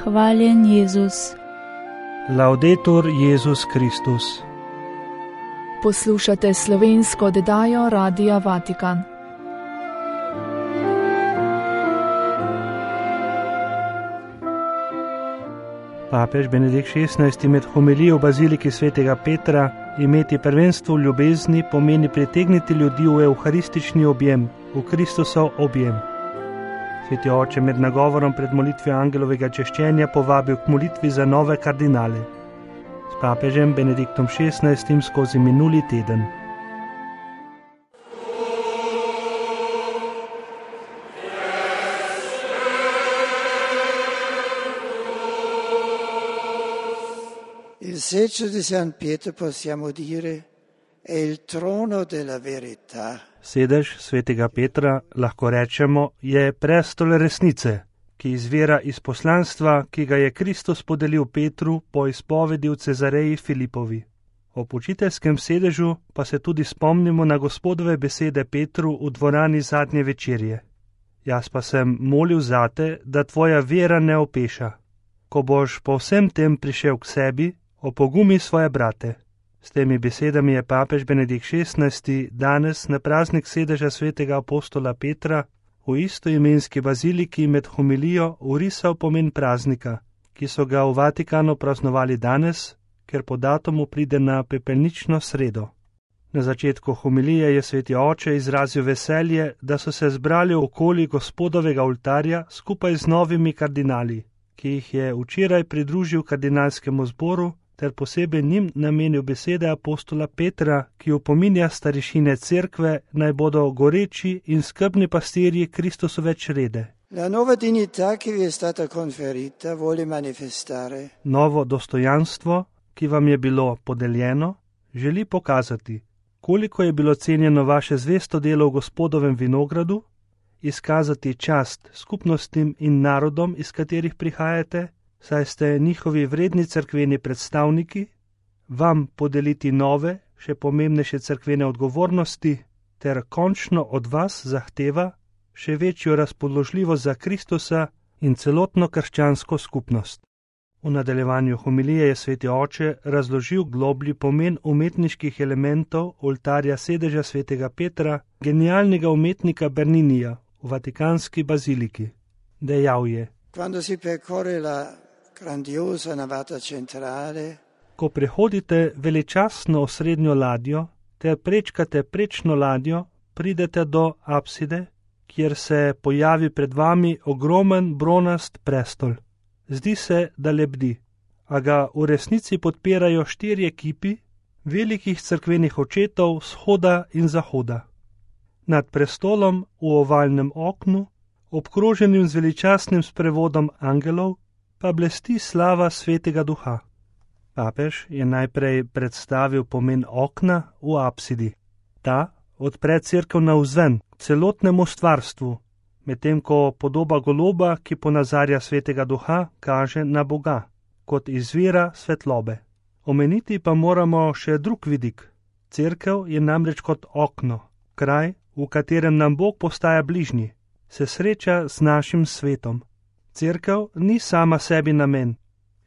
Hvaljen Jezus. Laudetur Jezus Kristus. Poslušate slovensko oddajo Radia Vatikan. Papež Benedikt XVI med homilijo v baziliki svetega Petra: imeti prvenstvo v ljubezni pomeni pritegniti ljudi v evharistični objem, v Kristusov objem. Sveti oče med nagovorom pred molitvijo angelovega češčenja povabil k molitvi za nove kardinale. S papežem Benediktom XVI skozi minuli teden. Il seggio di San Pietro possiamo dire è il trono della verità. Sedež svetega Petra, lahko rečemo, je prestol resnice, ki izvira iz poslanstva, ki ga je Kristus podelil Petru po izpovedi v Cezareji Filipovi. Ob učiteljskem sedežu pa se tudi spomnimo na Gospodove besede Petru v dvorani zadnje večerje. Jaz pa sem molil zate, da tvoja vera ne opeša. Ko boš po vsem tem prišel k sebi, opogumi svoje brate. S temi besedami je papež Benedikt XVI danes na praznik sedeža svetega apostola Petra v istoimenski baziliki med homilijo vrisal pomen praznika, ki so ga v Vatikanu praznovali danes, ker po datumu pride na pepelnično sredo. Na začetku homilije je sveti oče izrazil veselje, da so se zbrali okoli Gospodovega oltarja skupaj z novimi kardinali, ki jih je včeraj pridružil kardinalskemu zboru, ter posebej njim namenil besede apostola Petra, ki opominja starešine cerkve, naj bodo goreči in skrbni pastirji Kristusove črede. La nuova dignità che vi è stata conferita vuole manifestare. Novo dostojanstvo, ki vam je bilo podeljeno, želi pokazati, koliko je bilo cenjeno vaše zvesto delo v Gospodovem vinogradu, izkazati čast skupnostim in narodom, iz katerih prihajate, saj ste njihovi vredni cerkveni predstavniki, vam podeliti nove, še pomembnejše cerkvene odgovornosti, ter končno od vas zahteva še večjo razpoložljivost za Kristusa in celotno krščansko skupnost. V nadaljevanju homilije je sveti oče razložil globlji pomen umetniških elementov oltarja sedeža svetega Petra, genialnega umetnika Berninija v Vatikanski baziliki. Dejal je: Quando si percorre la grandiosa navata centrale, ko prehodite veličastno osrednjo ladjo ter prečkate prečno ladjo, pridete do apside, kjer se pojavi pred vami ogromen bronast prestol. Zdi se, da lebdi, a ga v resnici podpirajo 4 kipi velikih cerkvenih očetov vzhoda in zahoda. Nad prestolom v ovalnem oknu, obkroženim z veličastnim sprevodom angelov, pa blesti slava svetega duha. Papež je najprej predstavil pomen okna v apsidi. Ta odpre cerkev navzven, celotnemu stvarstvu, medtem ko podoba goloba, ki ponazarja svetega duha, kaže na Boga, kot izvira svetlobe. Omeniti pa moramo še drug vidik. Cerkev je namreč kot okno, kraj, v katerem nam Bog postaja bližnji, se sreča z našim svetom. Cerkev ni sama sebi namen,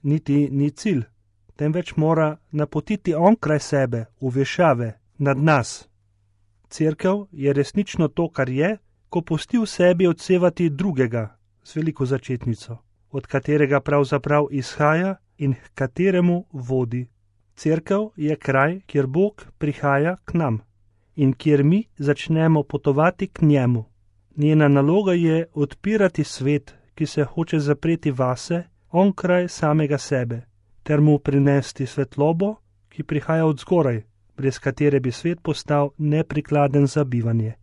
niti ni cilj, temveč mora napotiti onkraj sebe, v vešave, nad nas. Cerkev je resnično to, kar je, ko pusti v sebi odsevati drugega z veliko začetnico, od katerega pravzaprav izhaja in k kateremu vodi. Cerkev je kraj, kjer Bog prihaja k nam in kjer mi začnemo potovati k njemu. Njena naloga je odpirati svet, ki se hoče zapreti vase, onkraj samega sebe, ter mu prinesti svetlobo, ki prihaja od zgoraj, brez katere bi svet postal neprikladen za bivanje.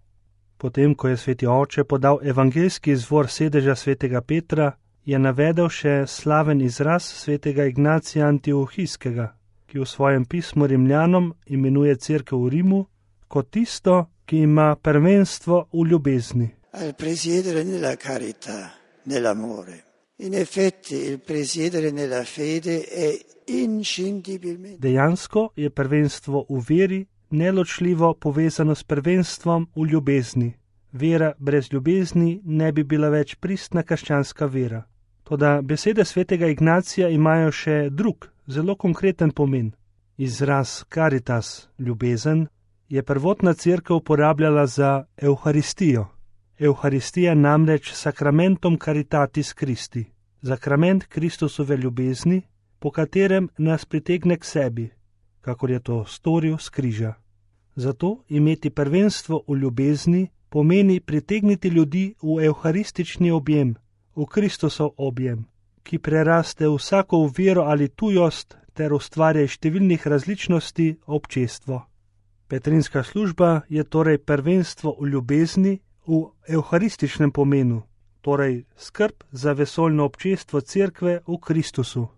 Potem, ko je sveti oče podal evangeljski izvor sedeža svetega Petra, je navedel še slaven izraz svetega Ignacija Antiohijskega, ki v svojem pismu Rimljanom imenuje cerkev v Rimu kot tisto, ki ima prvenstvo v ljubezni. al presiedere nella carità, nell'amore. In effetti il presiedere nella fede è inscindibilmente. Dejansko je prvenstvo v veri neločljivo povezano s prvenstvom v ljubezni. Vera brez ljubezni ne bi bila več pristna krščanska vera. Toda besede svetega Ignacija imajo še drug, zelo konkreten pomen. Izraz caritas, ljubezen, je prvotna cerkev uporabljala za Evharistijo. Evharistija namreč sakramentum caritatis Christi, sakrament Kristusove ljubezni, po katerem nas pritegne k sebi, kakor je to storil s križa. Zato imeti prvenstvo v ljubezni pomeni pritegniti ljudi v evharistični objem, v Kristusov objem, ki preraste vsako vero ali tujost ter ustvarja številnih različnosti občestvo. Petrinska služba je torej prvenstvo v ljubezni v evharističnem pomenu, torej skrb za vesoljno občestvo cerkve v Kristusu.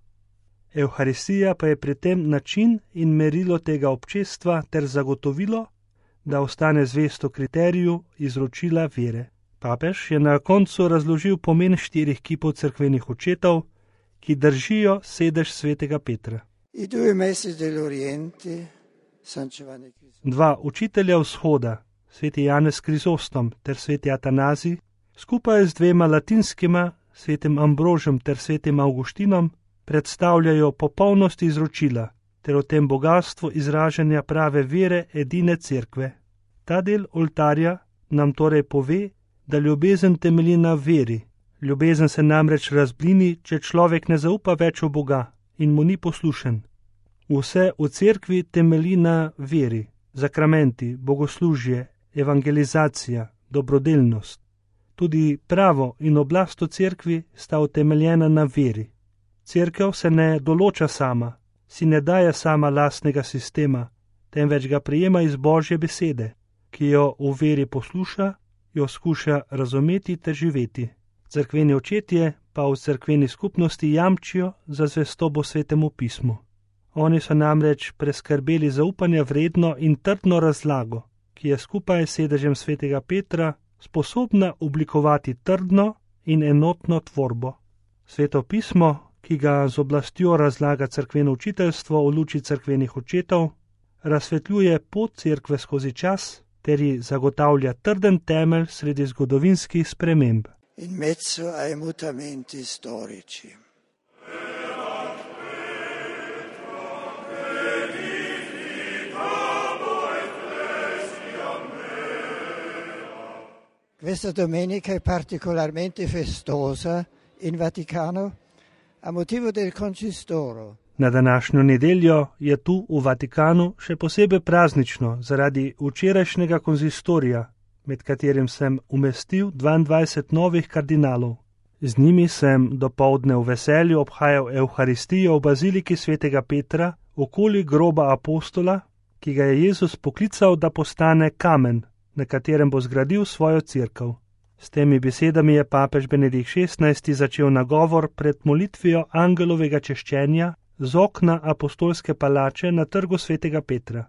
Evharistija pa je pri tem način in merilo tega občestva ter zagotovilo, da ostane zvesto kriteriju izročila vere. Papež je na koncu razložil pomen 4 kipov cerkvenih očetov, ki držijo sedež svetega Petra. 2 učitelja vzhoda, sveti Janez Krizostom ter sveti Atanazij, skupaj z 2 latinskima, svetim Ambrožem ter svetim Avguštinom, predstavljajo popolnost izročila ter o tem bogatstvu izražanja prave vere edine cerkve. Ta del oltarja nam torej pove, da ljubezen temelji na veri. Ljubezen se namreč razblini, če človek ne zaupa več v Boga in mu ni poslušen. Vse v cerkvi temelji na veri, sakramenti, bogoslužje, evangelizacija, dobrodelnost. Tudi pravo in oblast v cerkvi sta utemeljena na veri. Cerkev se ne določa sama, si ne daje sama lastnega sistema, temveč ga prijema iz Božje besede, ki jo v veri posluša, jo skuša razumeti ter živeti. Cerkveni očetje pa v cerkveni skupnosti jamčijo za zvestobo svetemu pismu. Oni so namreč preskrbeli zaupanja vredno in trdno razlago, ki je skupaj s sedežem svetega Petra sposobna oblikovati trdno in enotno tvorbo. Sveto pismo, ki ga z oblastjo razlaga cerkveno učiteljstvo v luči cerkvenih očetov, razsvetljuje pot cerkve skozi čas ter ji zagotavlja trden temelj sredi zgodovinskih sprememb. In mezzo ai mutamenti storici. Questa domenica è particolarmente festosa in Vaticano a motivo del Concistoro. Na današnjo nedeljo je tu v Vatikanu še posebej praznično zaradi včerajšnjega konzistorija, med katerim sem umestil 22 novih kardinalov. Z njimi sem dopoldne v veselju obhajal Evharistijo v baziliki svetega Petra okoli groba apostola, ki ga je Jezus poklical, da postane kamen, na katerem bo zgradil svojo cerkev. S temi besedami je papež Benedikt XVI začel nagovor pred molitvijo angelovega češčenja z okna apostolske palače na trgu svetega Petra.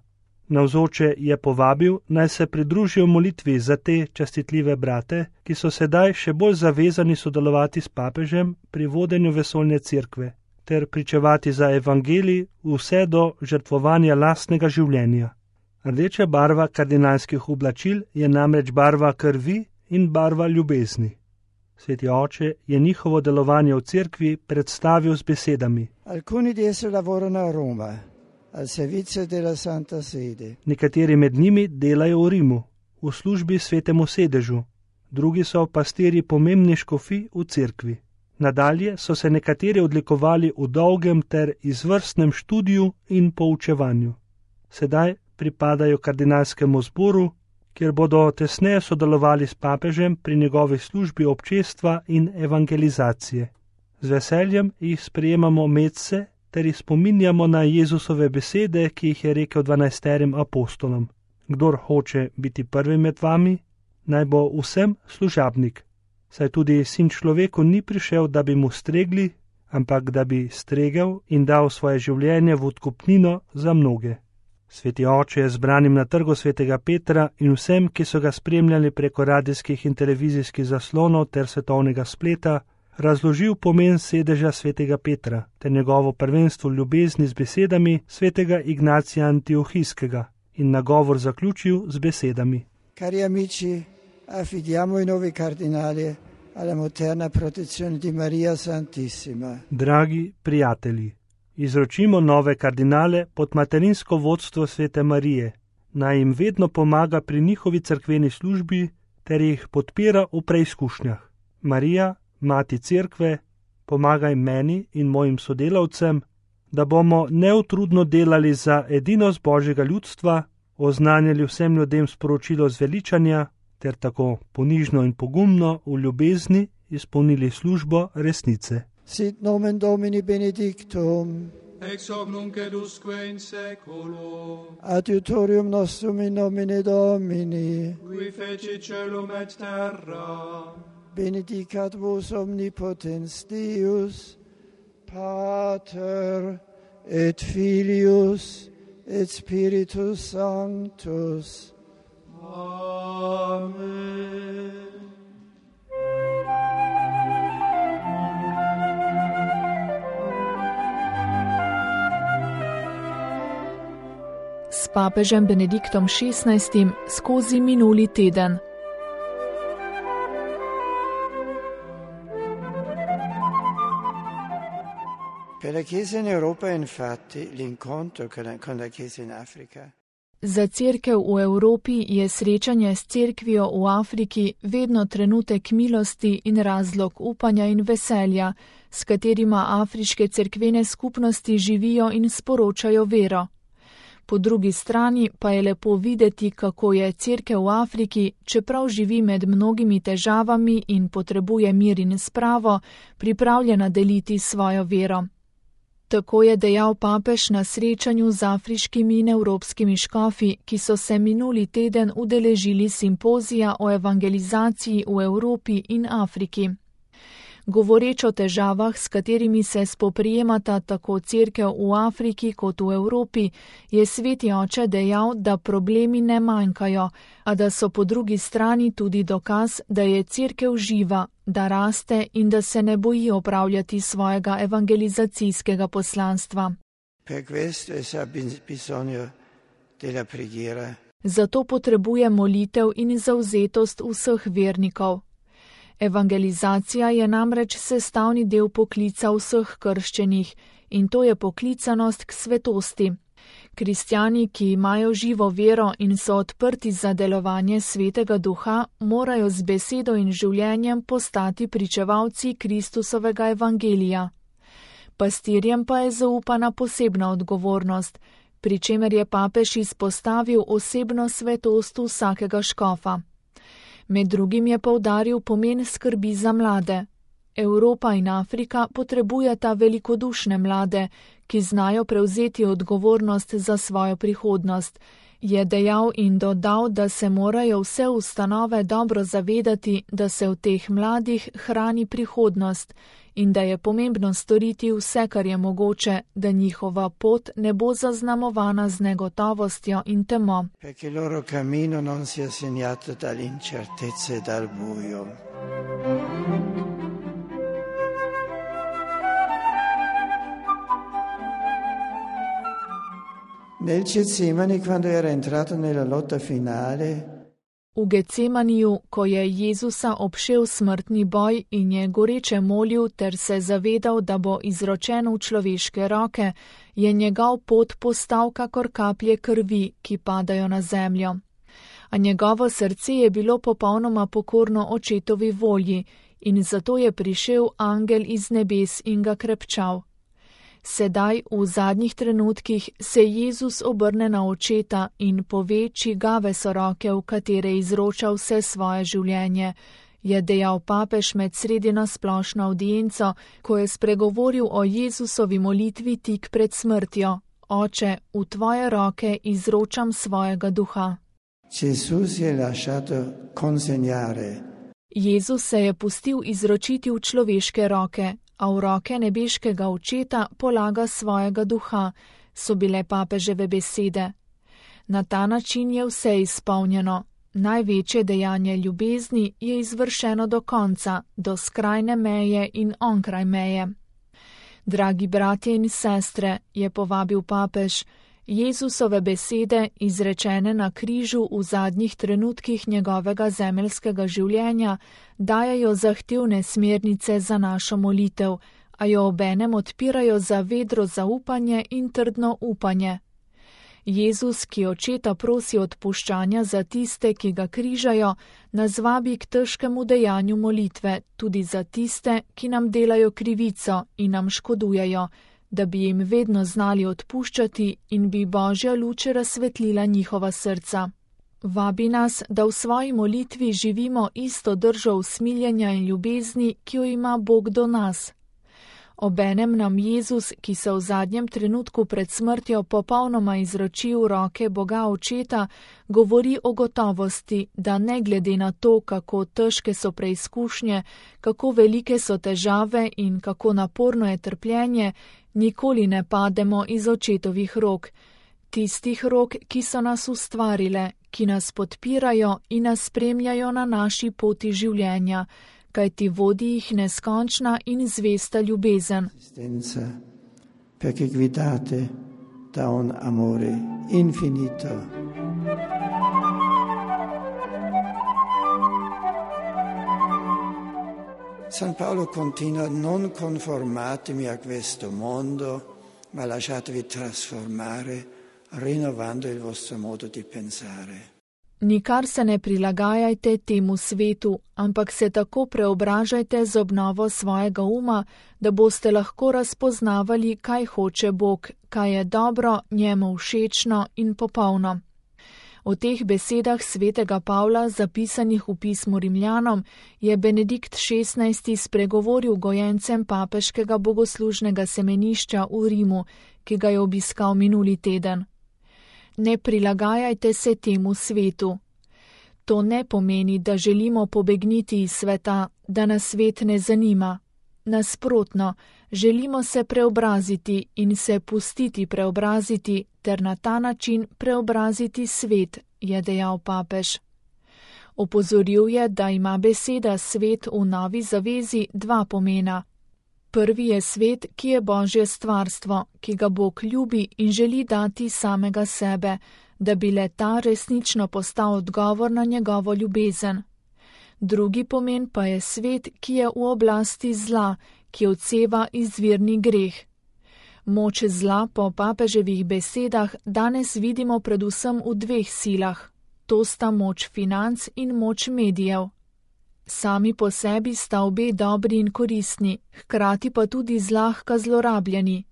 Navzoče je povabil, naj se pridružijo molitvi za te častitljive brate, ki so sedaj še bolj zavezani sodelovati s papežem pri vodenju vesoljne cerkve, ter pričevati za evangelij vse do žrtvovanja lastnega življenja. Rdeča barva kardinalskih oblačil je namreč barva krvi in barva ljubezni. Sveti oče je njihovo delovanje v cerkvi predstavil z besedami. Alcuni di essi lavorano a Roma, al servizio della Santa Sede. Nekateri med njimi delajo v Rimu, v službi svetemu sedežu, drugi so pastirji pomembni škofi v cerkvi. Nadalje so se nekateri odlikovali v dolgem ter izvrstnem študiju in poučevanju. Sedaj pripadajo kardinalskemu zboru, kjer bodo tesneje sodelovali s papežem pri njegovi službi občestva in evangelizacije. Z veseljem jih sprejemamo medse ter jih spominjamo na Jezusove besede, ki jih je rekel 12 apostolom. Kdor hoče biti prvi med vami, naj bo vsem služabnik. Saj tudi sin človeku ni prišel, da bi mu stregli, ampak da bi stregel in dal svoje življenje v odkupnino za mnoge. Sveti oče je zbranim na trgu svetega Petra in vsem, ki so ga spremljali preko radijskih in televizijskih zaslonov ter svetovnega spleta, razložil pomen sedeža svetega Petra ter njegovo prvenstvo v ljubezni z besedami svetega Ignacija Antiohijskega in nagovor zaključil z besedami: Cari amici, affidiamo i nuovi cardinali alla materna protezione di Maria Santissima. Dragi prijatelji, izročimo nove kardinale pod materinsko vodstvo svete Marije, naj jim vedno pomaga pri njihovi cerkveni službi ter jih podpira v preizkušnjah. Marija, Mati Cerkve, pomagaj meni in mojim sodelavcem, da bomo neutrudno delali za edinost Božjega ljudstva, oznanjali vsem ljudem sporočilo zveličanja ter tako ponižno in pogumno v ljubezni izpolnili službo resnice. Sit nomen Domini benedictum, ex hoc nunc et usque in seculo, adiutorium nostrum in nomine Domini, qui feci celum et terra, benedicat vos omnipotens Deus, Pater et Filius et Spiritus Sanctus. Amen. S papežem Benediktom XVI skozi minuli teden. Per la Chiesa in Europa, infatti, l'incontro con la Chiesa in Africa. Za cerkev v Evropi je srečanje s cerkvijo v Afriki vedno trenutek milosti in razlog upanja in veselja, s katerima afriške cerkvene skupnosti živijo in sporočajo vero. Po drugi strani pa je lepo videti, kako je cerkev v Afriki, čeprav živi med mnogimi težavami in potrebuje mir in spravo, pripravljena deliti svojo vero. Tako je dejal papež na srečanju z afriškimi in evropskimi škofi, ki so se minuli teden udeležili simpozija o evangelizaciji v Evropi in Afriki. Govoreč o težavah, s katerimi se spoprijemata tako cerkev v Afriki kot v Evropi, je sveti oče dejal, da problemi ne manjkajo, a da so po drugi strani tudi dokaz, da je cerkev živa, da raste in da se ne boji opravljati svojega evangelizacijskega poslanstva. Zato potrebuje molitev in zavzetost vseh vernikov. Evangelizacija je namreč sestavni del poklica vseh krščenih in to je poklicanost k svetosti. Kristjani, ki imajo živo vero in so odprti za delovanje Svetega Duha, morajo z besedo in življenjem postati pričevalci Kristusovega evangelija. Pastirjem pa je zaupana posebna odgovornost, pri čemer je papež izpostavil osebno svetost vsakega škofa. Med drugim je poudaril pomen skrbi za mlade. Evropa in Afrika potrebujeta velikodušne mlade, ki znajo prevzeti odgovornost za svojo prihodnost, je dejal in dodal, da se morajo vse ustanove dobro zavedati, da se v teh mladih hrani prihodnost in da je pomembno storiti vse, kar je mogoče, da njihova pot ne bo zaznamovana z negotovostjo in temo. Perché il loro cammino non sia segnato dall'incertezza e dal buio. Nel Getsemani, quando era entrato nella lotta finale, v Getsemaniju, ko je Jezusa obšel smrtni boj in je goreče molil ter se zavedal, da bo izročen v človeške roke, je njegov pot postal kakor kaplje krvi, ki padajo na zemljo. A njegovo srce je bilo popolnoma pokorno očetovi volji in zato je prišel angel iz nebes in ga krepčal. Sedaj, v zadnjih trenutkih, se Jezus obrne na očeta in pove, čigave so roke, v katere izroča vse svoje življenje, je dejal papež med sredino splošno avdienco, ko je spregovoril o Jezusovi molitvi tik pred smrtjo. Oče, v tvoje roke izročam svojega duha. Jezus se je pustil izročiti v človeške roke, a v roke nebeškega očeta polaga svojega duha, so bile papeževe besede. Na ta način je vse izpolnjeno. Največje dejanje ljubezni je izvršeno do konca, do skrajne meje in onkraj meje. Dragi bratje in sestre, je povabil papež, Jezusove besede, izrečene na križu v zadnjih trenutkih njegovega zemeljskega življenja, dajajo zahtevne smernice za našo molitev, a jo obenem odpirajo za vedro zaupanje in trdno upanje. Jezus, ki očeta prosi odpuščanja za tiste, ki ga križajo, nas vabi k težkemu dejanju molitve, tudi za tiste, ki nam delajo krivico in nam škodujejo, da bi jim vedno znali odpuščati in bi Božja luč razsvetlila njihova srca. Vabi nas, da v svoji molitvi živimo isto držo usmiljenja in ljubezni, ki jo ima Bog do nas. Obenem nam Jezus, ki se v zadnjem trenutku pred smrtjo popolnoma izroči v roke Boga Očeta, govori o gotovosti, da ne glede na to, kako težke so preizkušnje, kako velike so težave in kako naporno je trpljenje, nikoli ne pademo iz Očetovih rok, tistih rok, ki so nas ustvarile, ki nas podpirajo in nas spremljajo na naši poti življenja, kajti vodi jih neskončna in zvesta ljubezen. Perché guidate da un amore infinito. San Paolo continua: non conformatevi a questo mondo, ma lasciatevi trasformare, rinnovando il vostro modo di pensare. Nikar se ne prilagajajte temu svetu, ampak se tako preobražajte z obnovo svojega uma, da boste lahko razpoznavali, kaj hoče Bog, kaj je dobro, njemu všečno in popolno. O teh besedah svetega Pavla, zapisanih v pismu Rimljanom, je Benedikt XVI. Spregovoril gojencem papeškega bogoslužnega semenišča v Rimu, ki ga je obiskal minuli teden. Ne prilagajajte se temu svetu. To ne pomeni, da želimo pobegniti iz sveta, da nas svet ne zanima. Nasprotno, želimo se preobraziti in se pustiti preobraziti ter na ta način preobraziti svet, je dejal papež. Opozoril je, da ima beseda svet v Novi zavezi dva pomena. Prvi je svet, ki je Božje stvarstvo, ki ga Bog ljubi in želi dati samega sebe, da bi le ta resnično postal odgovor na njegovo ljubezen. Drugi pomen pa je svet, ki je v oblasti zla, ki odseva izvirni greh. Moč zla po papeževih besedah danes vidimo predvsem v dveh silah. To sta moč financ in moč medijev. Sami po sebi sta obe dobri in koristni, hkrati pa tudi zlahka zlorabljeni.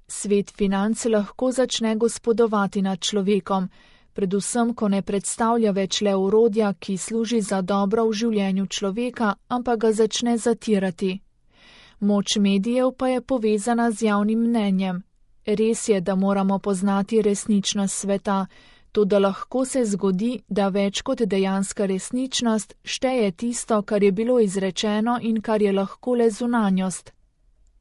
Svet financ lahko začne gospodovati nad človekom, predvsem, ko ne predstavlja več le orodja, ki služi za dobro v življenju človeka, ampak ga začne zatirati. Moč medijev pa je povezana z javnim mnenjem. Res je, da moramo poznati resničnost sveta, toda lahko se zgodi, da več kot dejanska resničnost šteje tisto, kar je bilo izrečeno in kar je lahko le zunanjost.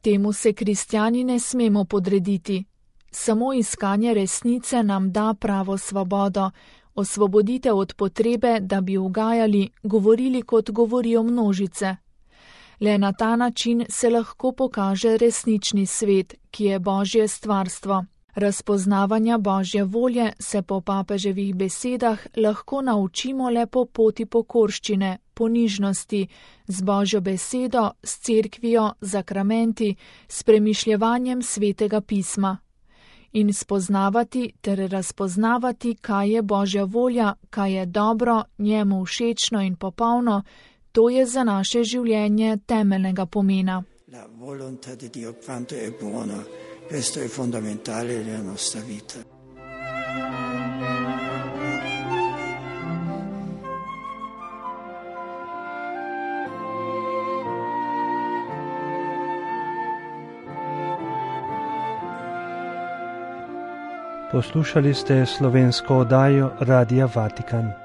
Temu se kristjani ne smemo podrediti. Samo iskanje resnice nam da pravo svobodo, osvoboditev od potrebe, da bi ugajali, govorili kot govorijo množice. Le na ta način se lahko pokaže resnični svet, ki je Božje stvarstvo. Razpoznavanja Božje volje se po papeževih besedah lahko naučimo le po poti pokorščine, ponižnosti, z Božjo besedo, s cerkvijo, zakramenti, s premišljevanjem svetega pisma. In spoznavati ter razpoznavati, kaj je Božja volja, kaj je dobro, njemu všečno in popolno, to je za naše življenje temeljnega pomena. La volontà di Dio quanto è buono. Questo è fondamentale nella nostra vita. Poslušali ste slovensko oddajo Radia Vatikan.